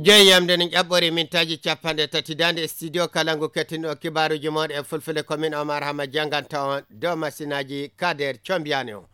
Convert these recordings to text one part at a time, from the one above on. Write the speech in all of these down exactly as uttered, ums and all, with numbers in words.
Jeeyam nde ne ƴaɓɓori mintaaji capanɗe tati daande e studio kala ngu kettinɗo kibaaruuji mooɗon e fulfulde, ko min Omar Hama jannganta on dow masinaaji Kader Combiyani o.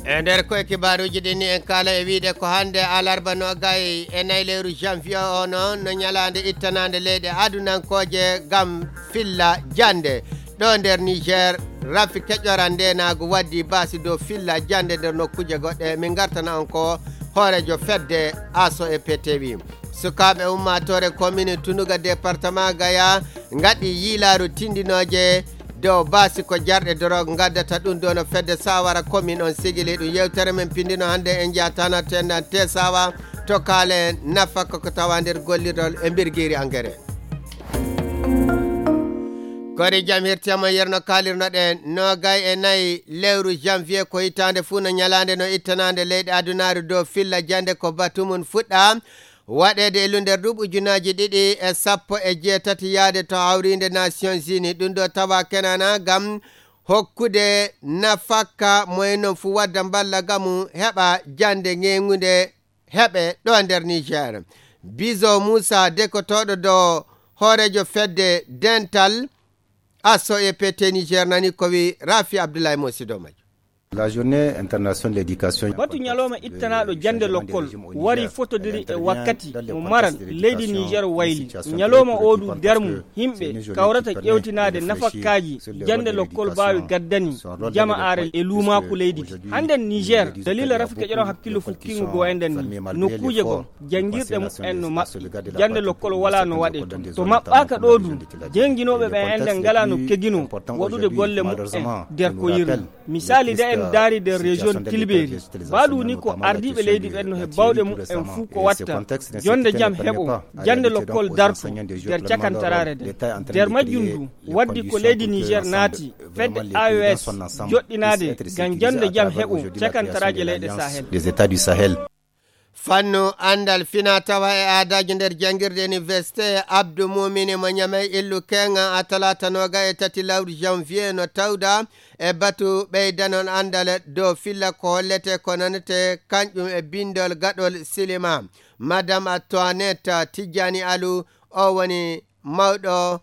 E nder koye kibaaruuji ɗin ni en kaala e wiide ko hannde alarba noogay e nayi lewru janvier o noon no ñalaande ittanaande leyɗe adunankooje ngam filla jannde. Ɗo nder Niger, rafi keƴoran ndenaagu waddi baasi dow filla jannde nder nokkuuje goɗɗe. Min ngartana on ko hooreejo fedde aso e P T V. Sukaaɓe ummaatoore komini Tunuga département Gaya ngaɗi yiilaaru tindinooje dow baasi ko jarɗe dorog ngaddata ɗum ɗo no fedde sawara komini on sigili ɗum. Yewtere men pindino hannde en njaha tana tendan te sawa to kaalen nafaka ko tawa nder gollirol e mbirgiiri engrais. Kori jam hirtiyama yerno kaalirnoɗen noogay e nayi lewru janvier ko hitaande fuu no ñalaande no ittanaande leyɗe adunaaru dow filla jannde ko batu mum fuɗɗa waɗeede e lunder duuɓi ujunaaji ɗiɗi e sappo e jeetati yaade to hawriinde Nations Unies. Ɗum ɗo tawa kenana ngam hokkude nafakka moyen non fuu wadda mballa gamu heɓa jannde ŋeeŋunde heɓe ɗo nder Niger. Bizo Moussa dekotooɗo dow hooreejo fedde dental asso e P T Niger nani ko wi Rafi Abdoulaye Mosido Majo. La journée internationale de l'éducation. Batu ñalawma ittanaaɗo jannde lokkol wari fotodiri e wakkati mo maral leydi Niger wayli. Ñalawma o du nder mum yimɓe kawrata ƴeewtinaade nafakkaaji jannde lokkol baawi gaddani jamaare e luumaaku leydi ndi. Hannden Niger, dalila rafi keƴoron hakkillo fukkingo goo enɗen ni, nokkuuje goo janngirɗe mumen no maɓɓi. Jannde lokkol walaa no waɗee toon. To maɓɓaaka ɗo du, jannginooɓe ɓen enɗen ngalaa no keginoo waɗude golle mumen nder ko yirli. Misaali, nde en ndaari nder région Tilbeeri, baaɗu ni ko ardiiɓe leydi ɓen no he baawɗe mumen fuu ko watta jonnde jam heɓo, jannde lokkol darto nder cakantaraare nden. Nder majjum du, waddi ko leydi Niger naati fedde A E S joɗɗinaade ngam jannde jam heɓo cakantaraaje leyɗe Sahel. Des États du Sahel. Fannu anndal fina tawa e aadaaji nder janngirde Université Abdou Moumini mo Ñamey illu keŋa a talaata nooga e tati lawru janvier no tawda e batu ɓeydanon anndal dow filla ko hollete ko nanete kanƴum e bindol gaɗol silima. Madame Antoinette Tijjani Alu o woni mawɗo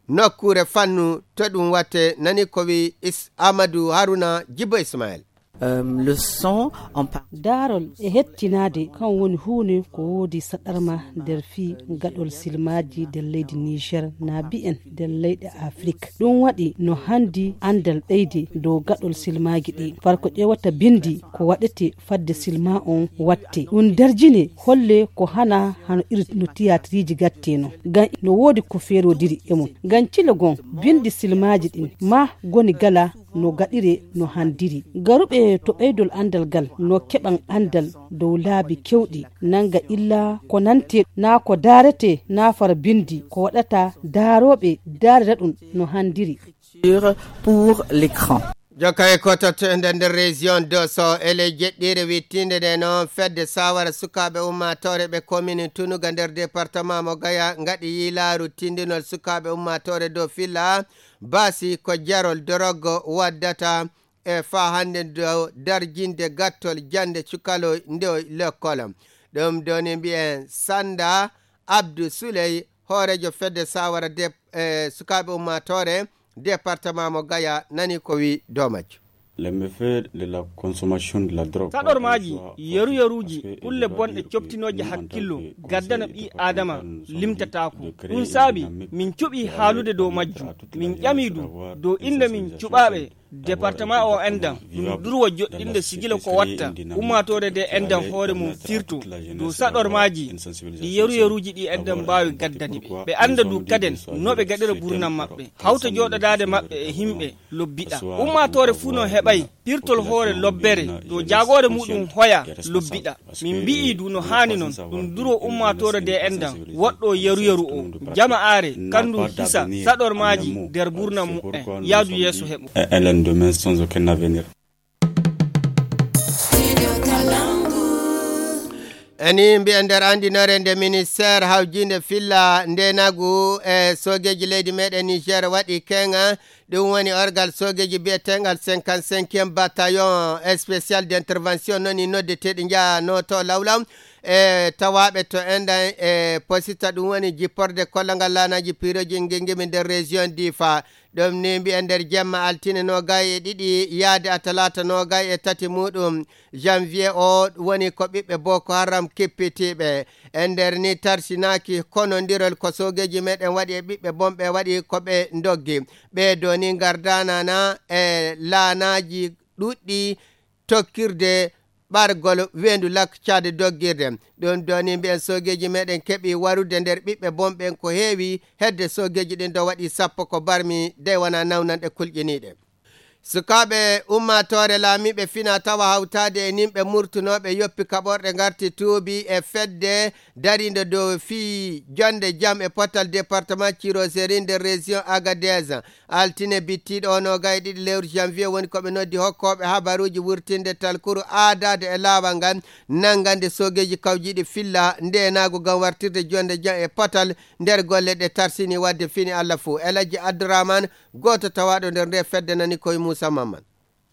nokkuure fannu to ɗum watte nani ko wi Is-, Amadou Haruna Jibo Ismaël. Euh, le son en par- Daarol e hettinaade kan woni huune ko woodi saɗarma nder fii gaɗol silmaaji nder leydi Niger na bi'en nder leyɗe Afrik. Ɗum waɗi no handi anndal ɓeyde dow gaɗol silmaaji ɗi. Far ko ƴeewata bindi ko waɗete fadde silma on watte. Ɗum darjine holle ko hana hano iri no tiyaatiriji gatte non. Ngam no woodi ko feerodiri e mum. Ngam cilo gon bindi silmaaji ɗin ma goni gala no gaɗire no handiri. Garuɓe to ɓeydol anndal gal no keɓan anndal dow laabi kewɗi nanga illa ko nante na ko daarete na far bindi ko waɗata daaroɓe daarira ɗum no handiri. Pour l'écran. Jokka e ko totto e nder, nder région Dosso e ley jeɗɗiire wittiinde nde noon fedde sawara sukaaɓe ummaatoore ɓe commune Tunuga nder département mo Gaya ngaɗi yiilaaru tindinol sukaaɓe ummaatoore dow filla baasi ko jarol dorogo waddata e faa hannde dow darjinde gattol jannde cukalo nde lekkol. Ɗum doni mbiyen Sanda Abdou Souley, hooreejo fedde sawara de, e sukaaɓe ummaatoore département mo Gaya nani ko wi dow majjo. Les méfaits de la consommation de la drogue. Saɗormaaji, yeruyeruuji, kulle bonɗe coftinooje hakkillo, gaddana ɓii Aadama limtataako. Ɗum saabi, min cuɓii haalude dow majjum. Min ƴamii du, dow innde min cuɓaaɓe, département o enɗan, ɗum durwa joɗɗinde sigila ko watta, ummaatoore nde enɗan hoore mum firto, dow saɗormaaji, ɗi yeruyeruuji ɗi enɗan mbaawi gaddani ɓe. Ɓe annda du kaden, no ɓe gaɗira burnam maɓɓe. Hawta jooɗodaade maɓɓe e himɓe, lobbiɗa. Ummaatoore fuu no heɓay pirtol hoore lobbere, to jaagoore muɗum hoya, lobbiɗa. Min mbi'ii du no haani non, ɗum duro ummaatoore nde enɗan, woɗɗo yeru yeru o. Jama aare, kandu hisa, saɗormaaji, nder burnam mu'en, yaadu yeeso heɓo. Un lendemain sans aucun avenir. E ni mbiyen nder anndinoore nde ministeer hawjiinde filla ndeenagu e soogeeji leydi meɗen Niger waɗi keŋa, ɗum woni orgal soogeeji biyetengal cinquante-cinquième bataillon spécial d'intervention noni noddeteeɗi njaha no to lawlaw e tawaaɓe to enɗan e posita, ɗum woni jipporde kollagal laanaaji piirooji ngengemi nder région Difa. Ɗum ni mbiyen nder jemma altine noogay e ɗiɗi yaade a talaata noogay e tati muɗum janvier o, woni ko ɓiɓɓe Boko Haram kippitiiɓe. E nder ni tarsinaaki konondirol ko soogeeji meɗen waɗi e ɓiɓɓe bonɓe waɗi ko ɓe ndoggi. Ɓee do ni ngardanana e laanaaji ɗuɗɗi tokkirde ɓargol weendu Lak Caade doggirde. Ɗum do ni mbiyen soogeeji meɗen keɓi warude nder ɓiɓɓe bonɓen ko heewi, hedde soogeeji ɗin do waɗi sappo ko barmi dey wona nawnanɗe kulƴiniiɗe. Sukaaɓe ummaatoore laamiiɓe fina tawa hawtaade e nimɓe murtunooɓe yoppi kaɓorɗe ngarti tuubi e fedde dariinde dow fii jonde jam e potal département Cirozerin nder région Agadez. Altine bittiiɗo o noogay e ɗiɗi lewru janvier woni ko ɓe noddi hokkooɓe habaruuji wurtinde talkuru aadaade e laawal ngal nanngande soogeeji kawjiiɗi filla ndeenaagu ngam wartirde jonde jam e potal nder golle ɗe tarsini waɗde fini Allah fuu. Elajji Abdourahmane, gooto tawaaɗo nder nde fedde, nani koye Moussa Mamman.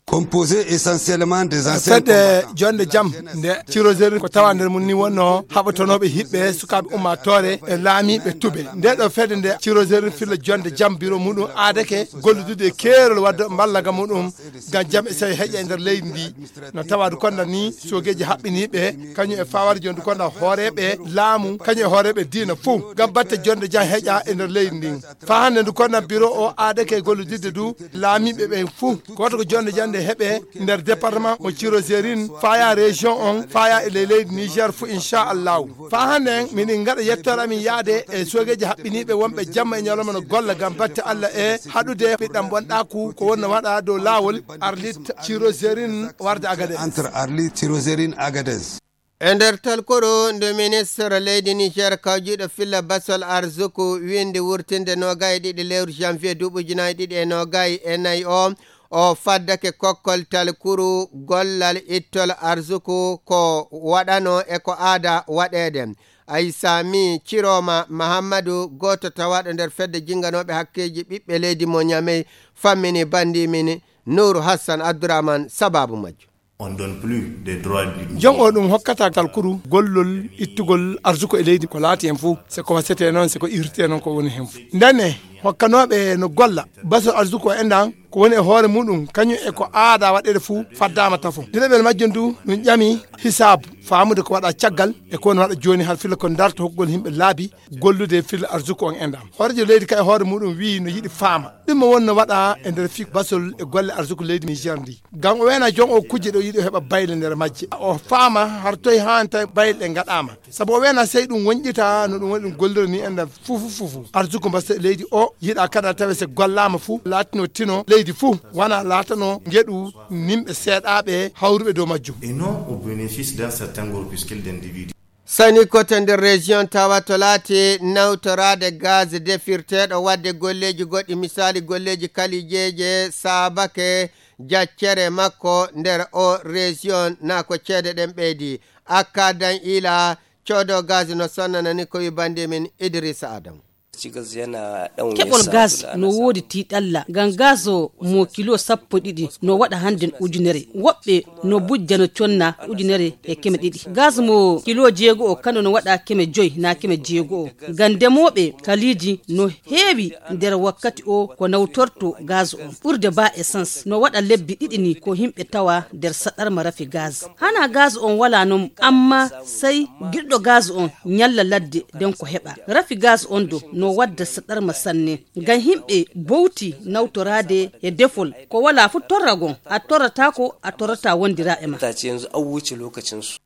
Composé essentiellement des anciens fedde combattants. Jonde jam nde Cirozerin ko tawa nder mum ni wonno haɓatonooɓe hiɓɓe sukaaɓe ummaatoore e laamiiɓe tube. Nde ɗo fedde nde Cirozerin filla jonde jam biro muɗum aadake golludude e keerol wadde mballa ga muɗum ngam jam e seyo heƴa e nder leydi ndi. No tawa du konda ni soogeeji haɓɓiniiɓe kañum e fawarjo ndu konda hooreeɓe laamu kañum e hooreeɓe diina fuu ngam batte jonde jam heƴa e nder leydi ndin. Faa hannde ndu konda biro o aadake gollididde du laamiiɓe ɓen fuu. Gooto ko jonde jande heɓe nder département mo Cirozerin, faya région on, faya e ley leydi Niger fuu, inchallahu. Faa hannde en, miɗen ngaɗa yettoore amin yaade e soogeeji haɓɓiniiɓe wonɓe jamma e ñalawma no golla ngam batte Allah e haɗude ɓiɗɗam bonɗaaku ko wonno waɗa dow laawol Arlit Cirozerin warde Agadez. Entre Arlit Cirozerin Agadez. E nder talkuru ndu ministre leydi Niger kawjiiɗo filla basol arzuku windi wurtinde noogay e ɗiɗi lewru janvier duuɓi ujunaaji ɗiɗi e noogay e nayi o, o faddake kokkol talkuru gollal ittol arzuku ko waɗano e ko aada waɗeede. Aysami Ciroma Mahammadu, gooto tawaaɗo nder fedde jinnganooɓe hakkeeji ɓiɓɓe leydi mo Ñamey, fammini banndi min Nuuru Hassan Abdourahmane sababu majjum. On donne plus des droits du jom o ɗum hokkata talkuru gollol ittugol arsuko e leydi ko laati hen fof, se ko wasete noon, se ko irte noon ko woni hen fof. Ndenne hokkanooɓe no golla basol arsuko en ɗan ko woni e hoore muɗum kañum e ko aada waɗeede fof faddaama tafo. Diɗaɓel majjum du ɗum ƴami hisaabu faamude ko waɗa caggal e ko woni waɗa jooni har filla ko darto hokkugol yimɓe laabi gollude filla arsuko on en ɗan. Hooreejo leydi ka e hoore muɗum wi'i no yiɗi faama ɗum mo wonno waɗa e nder fii basol e golle arsuko leydi Niger ndi. Ngam o wena jom o kujje ɗo yiɗi o heɓa bayle nder majje. O faama har toye haa tawi bayle ɗe ngaɗaama. Sabu o wena sey ɗum wonƴita no ɗum woni ɗum gollira ni en fufu fufu. Arsuko mbasa leydi o yiɗa kada tawe se gollaama fu laatino tino leydi fu wana laatano ngeɗu nimɓe seeɗaaɓe hawruɓe dow majjum. Et non au bénéfice d'un certain groupuscule d'individus. Sani kote nder région tawa to laati nawtoraade gaz defirteeɗo waɗde golleeji goɗɗi, misaali golleeji kalijeeje saabake jaccere makko nder o région na ko ceede ɗen ɓeydi. Akka dan ila coodo gaz no sonnanani ko wi bandi min Idrissa Adam. Keɓol gaz no woodi tiiɗalla ngam gaz o mo kilo sappo ɗiɗi no waɗa hannden ujunere. Woɓɓe no bujja no conna ujunere e keme ɗiɗi. Gaz mo kilo jeego o kano no waɗa keme joy na keme jeego o. Ngam ndemooɓe kaliiji no heewi nder wakkati o ko nawtorto gaz on. Ɓurde ba essence no waɗa lebbi ɗiɗi ni ko yimɓe tawa nder saɗarma rafi gaz. Hana gaz on wala non amma sai giɗɗo gaz on ñalla ladde den ko heɓa. Rafi gaz on do no wadda saɗarma sanne. Ngam yimɓe bowti nawtoraade e defol ko wala fu torragon a torratako a torrata wondira e ma. Yanzu an wuce lokacinsu.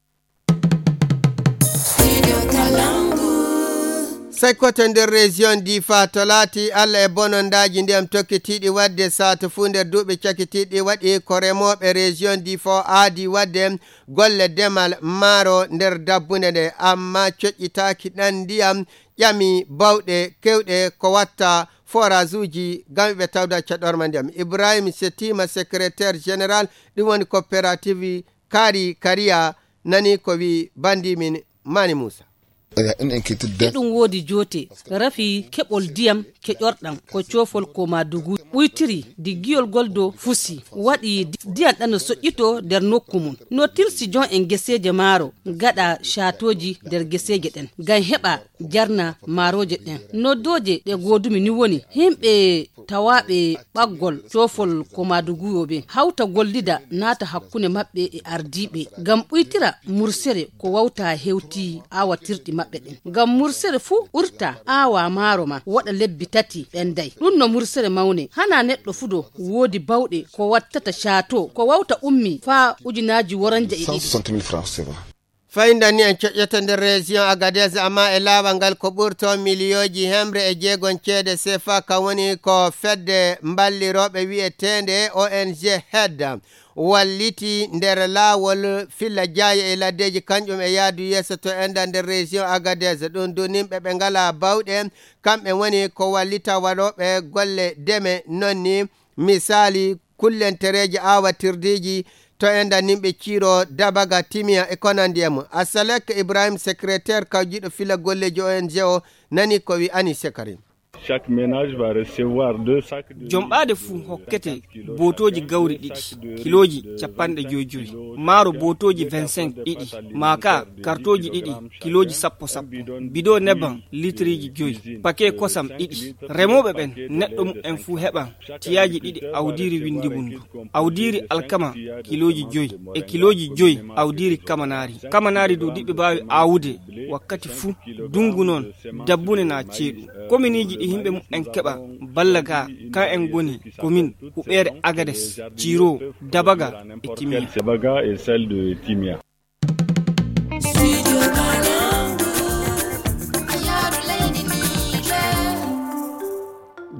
Sai kote nder région Difa to laati Allah e bonondaaji ndiyam tokkitiiɗi waɗde saatu fuu nder duuɓi cakitiiɗi waɗi ko remooɓe région Difa o aadi waɗde golle demal maaro nder dabbunde nde, amma coƴƴitaaki ɗan ndiyam ƴami bawɗe kewɗe ko watta forage uji ngam ɓe tawda caɗorma ndiyam. Ibrahim Setima, secrétaire général ɗum woni coopérative Kari Kariya, nani ko wi bandi min Mani Musa. Hiɗum woodi joote, rafi keɓol diyam keƴorɗam ko coofol ko maa dugu ɓuytiri di giyol gol do fusi, waɗi di-, diyam ɗan no soƴƴitoo nder nokku mum. No tilsi jon en geseeje maaro, gaɗa caatooji nder geseeje ɗen, ngam heɓa jarna maarooje ɗen. Noddooje ɗe goodumi ni woni, himɓe tawaaɓe ɓaggol coofol ko maa dugu yo ɓe hawta gollida naata hakkunde maɓɓe e ardiiɓe, ngam ɓuytira mursere ko wawta hewti aawatirɗi maɓɓe ɗen. Ngam mursere fuu ɓurta aawa maaro ma waɗa lebbi tati ɓenday. Ɗum no mursere mawne. Hana neɗɗo fuu do woodi bawɗe ko wattata caato, ko wawta ummi faa ujunaaji woranja e ɗiɗi. Cent soixante mille francs C F A. Fayndani en coƴƴata nder région Agadez, amma e laawol ngal ko ɓurto miliyooji hemre e jeegon ceede C F A, kan woni ko fedde mballirooɓe wi'eteende O N G Hedda walliti nder laawol filla jaaye e laddeeji, kanƴum e yaadu yeeso to enda nder région Agadez. Ɗum du nimɓe ɓe ngalaa bawɗe, kamɓe woni ko wallita waɗooɓe golle deme, non ni misaali kullentereeji aawatirdiiji to enda nimɓe ciiro, dabaga, timiya e ko nandi e mum. Asalek Ibrahim, secrétaire kawjiiɗo filla golleeji O N G o, nani ko wi Ani Sekari. Chaque ménage va recevoir deux sacs de Jom ɓaade fuu hokkete bootooji gawri ɗiɗi, kilooji capanɗe joy joy, maaro bootooji vingt-cinq ɗiɗi, maaka kartooji ɗiɗi, kilooji sappo sappo, bidon nebbam litriiji joy, pake kosam ɗiɗi. Remooɓe ɓen, neɗɗo mumen fuu heɓan tiyaaji ɗiɗi awdiiri winndi mum ndu, awdiiri alkama kilooji joy e kilooji joy awdiiri kamanaari. Kamanaari du diɓɓe baawi aawude wakkati fuu, dungu non, dabbune naa ceeɗu. Kominiiji ɗi himɓe mumen keɓa balla ga, ka en ngoni komin huɓeere Agades, Ciiro, Dabaga e Timiya. Dabaga et celle de Timia.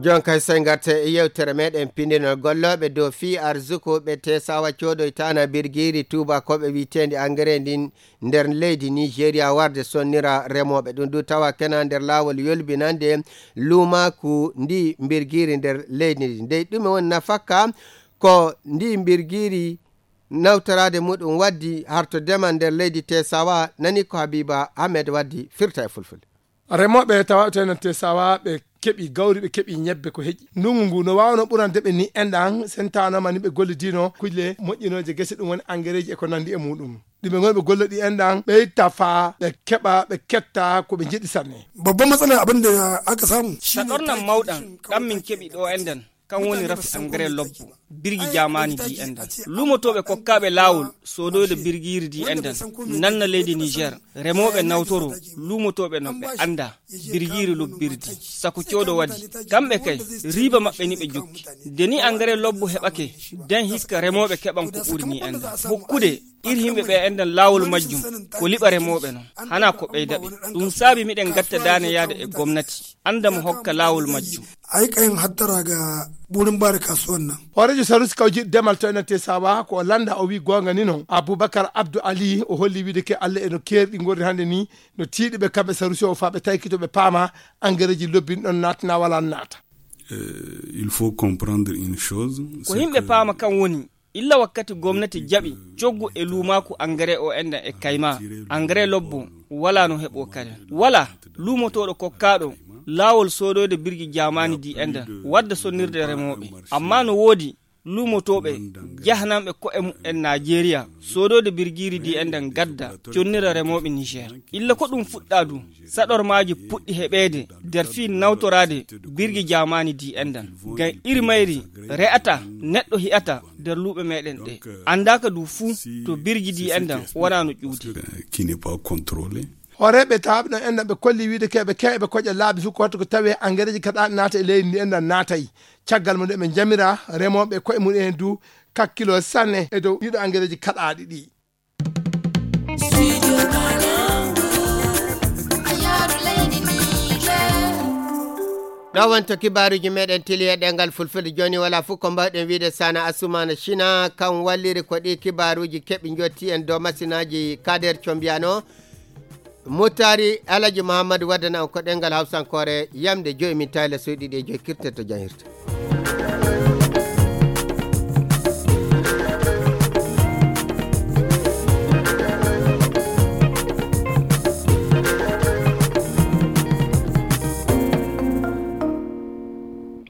Jon kay, sey ngarte e yewtere meɗen pindinol gollooɓe dow fii arzuku ɓe Tesawa coodoytaana birgiiri tuubakooɓe wi'eteendi engrais ndin nder leydi Nigeria warde sonnira remooɓe. Ɗum du tawa kena nder laawol yolbinande luumaaku ndi mbirgiiri nder leydi ndi. Dey ɗume woni nafakka ko ndi mbirgiiri nawtoraade muɗum waddi harto demal nder leydi Tesawa? Nani ko Habiba Ahmed waddi firta e fulfulde. Remooɓe tawa to enen Tesawa ɓe keɓi gawri, ɓe keɓi ñebbe ko heƴi. Ndungu ngu no waawno ɓurande ɓe ni enɗan, sentanooma ni ɓe gollidino kulle moƴƴinooje gese, ɗum woni angereeji e ko nandi e muɗum. Ɗi ɓe ngoni ɓe golla ɗi enɗan, ɓe itta faa ɓe keɓa, ɓe ketta ko ɓe njeɗi sanne. Babban matsalar abin da aka samu shine Saɗornan taki mawɗan ɗan min keɓi ɗo enɗan, kan woni rafi engrais lobbo, birgi jaamaani di enɗan. Luumotooɓe kokkaaɓe laawol soodoyde birgiiri di enɗan nanna leydi Niger, remooɓe nawtoro luumotooɓe non ɓe annda birgiiri lobbirdi, sako coodo waɗi. Kamɓe kay, riiba maɓɓe ni ɓe jokki. De ni engrais lobbo heɓake, den hiska remooɓe keɓan ko ɓuri ni enɗan. Hokkude iri himɓe ɓe enɗan laawol majjum, ko liɓa remooɓe non, hana ko ɓeyda ɓe. Ɗum saabi miɗen gatta daane yaade e gomnati, annda mo hokka laawol majjum. A yi ƙayin hattara ga wurin ba da kasuwan nan. Hooreejo Sanusi kawji demal to enen Tesawa ko o lannda, o wi goonga ni non. Abubakar Abdu Ali o holli wiide ke Allah eno keeri ɗi ngorri hannde ni, no tiiɗi ɓe kamɓe Sanusi o faa ɓe taykito ɓe paama angereeji lobbin ɗon naatna wala naata. Euh, il faut comprendre une chose, Ko c'est yimɓe que paama kan woni, illa wakkati gomnati jaɓi coggu e luumaaku engrais o enɗan e kayma, engrais lobbo wala no heɓo kare. Wala luumotooɗo kokkaaɗo laawol soodoyde birgi jaamaani di enɗan wadda sonnirde remooɓe. Amma no woodi luumotooɓe jahananɓe ko'e mumen Najeriya soodoyde birgiiri di enɗan gadda connira remooɓe Niger. Illa ko ɗum fuɗɗa du, saɗormaaji puɗɗi heɓeede nder fii nawtoraade birgi jaamaani di enɗan. Ngam iri mayri re'ata neɗɗo hi'ata nder luuɓe meɗen ɗe. Anndaaka du fuu to birgi di enɗan wona no ƴuude. Qui n'est pas contrôlé. Hooreeɓe tawaaɓe ɗon enɗan ɓe kolli wiide keɓe keɓe koƴa laabi fuu ko wattu ko tawee angereeji kaɗaaɗi naata e leydi ndi enɗan naatay. Caggal mo nde ɓe jamira remooɓe ko'e mum en du kakkilo sanne e dow ɗiɗo angereeji kaɗaaɗi ɗi. Ɗo wonto kibaaruuji meɗen tili e ɗemngal fulfulde. Jooni wala fof ko mbawɗen wiide sana Asumana China kan walliri ko ɗi kibaaruuji keɓi njotti en dow masinaaji Kader Combiano. Muttari Alaji Muhammadu waddana on ko ɗemngal Hawsankoore yamde joyi min tayla soyɗi ɗi e joyi kirte to janhirta.